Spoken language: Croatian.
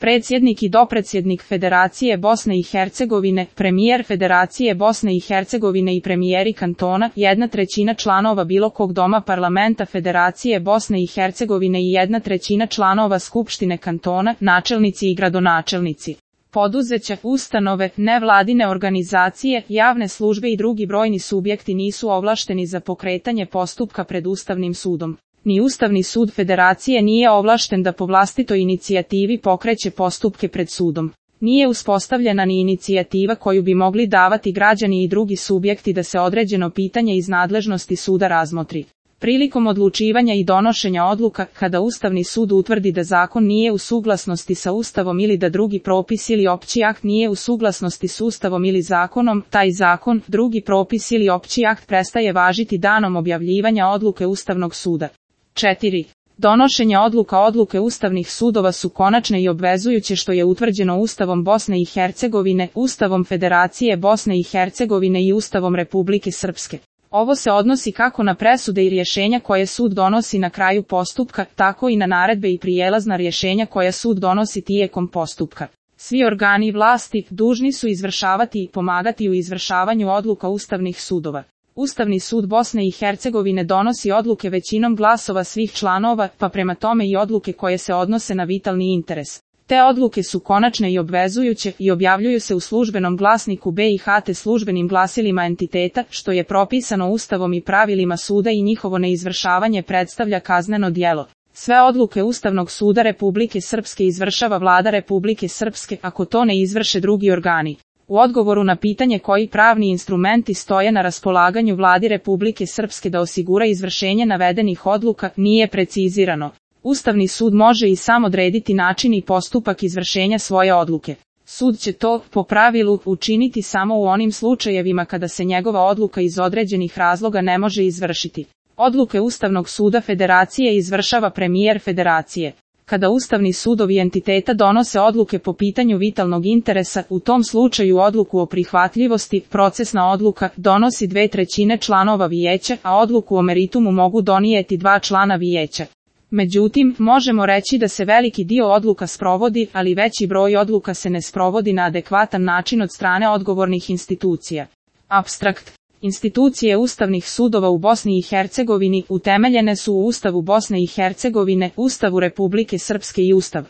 predsjednik i dopredsjednik Federacije Bosne i Hercegovine, premijer Federacije Bosne i Hercegovine i premijeri kantona, 1/3 članova bilo kog doma parlamenta Federacije Bosne i Hercegovine i 1/3 članova Skupštine kantona, načelnici i gradonačelnici. Poduzeća, ustanove, nevladine organizacije, javne službe i drugi brojni subjekti nisu ovlašteni za pokretanje postupka pred Ustavnim sudom. Ni Ustavni sud Federacije nije ovlašten da po vlastitoj inicijativi pokreće postupke pred sudom. Nije uspostavljena ni inicijativa koju bi mogli davati građani i drugi subjekti da se određeno pitanje iz nadležnosti suda razmotri. Prilikom odlučivanja i donošenja odluka, kada Ustavni sud utvrdi da zakon nije u suglasnosti sa Ustavom ili da drugi propis ili opći akt nije u suglasnosti s Ustavom ili zakonom, taj zakon, drugi propis ili opći akt prestaje važiti danom objavljivanja odluke Ustavnog suda. 4. Donošenje odluke ustavnih sudova su konačne i obvezujuće što je utvrđeno Ustavom Bosne i Hercegovine, Ustavom Federacije Bosne i Hercegovine i Ustavom Republike Srpske. Ovo se odnosi kako na presude i rješenja koje sud donosi na kraju postupka, tako i na naredbe i prijelazna rješenja koja sud donosi tijekom postupka. Svi organi vlasti dužni su izvršavati i pomagati u izvršavanju odluka ustavnih sudova. Ustavni sud Bosne i Hercegovine donosi odluke većinom glasova svih članova, pa prema tome i odluke koje se odnose na vitalni interes. Te odluke su konačne i obvezujuće i objavljuju se u službenom glasniku BiH te službenim glasilima entiteta, što je propisano Ustavom i pravilima suda i njihovo neizvršavanje predstavlja kazneno djelo. Sve odluke Ustavnog suda Republike Srpske izvršava Vlada Republike Srpske ako to ne izvrše drugi organi. U odgovoru na pitanje koji pravni instrumenti stoje na raspolaganju Vladi Republike Srpske da osigura izvršenje navedenih odluka, nije precizirano. Ustavni sud može i sam odrediti način i postupak izvršenja svoje odluke. Sud će to, po pravilu, učiniti samo u onim slučajevima kada se njegova odluka iz određenih razloga ne može izvršiti. Odluke Ustavnog suda Federacije izvršava premijer Federacije. Kada Ustavni sudovi entiteta donose odluke po pitanju vitalnog interesa, u tom slučaju odluku o prihvatljivosti, procesna odluka, donosi 2/3 članova vijeća, a odluku o meritumu mogu donijeti 2 člana vijeća. Međutim, možemo reći da se veliki dio odluka sprovodi, ali veći broj odluka se ne sprovodi na adekvatan način od strane odgovornih institucija. Apstrakt. Institucije ustavnih sudova u Bosni i Hercegovini utemeljene su u Ustavu Bosne i Hercegovine, Ustavu Republike Srpske i Ustav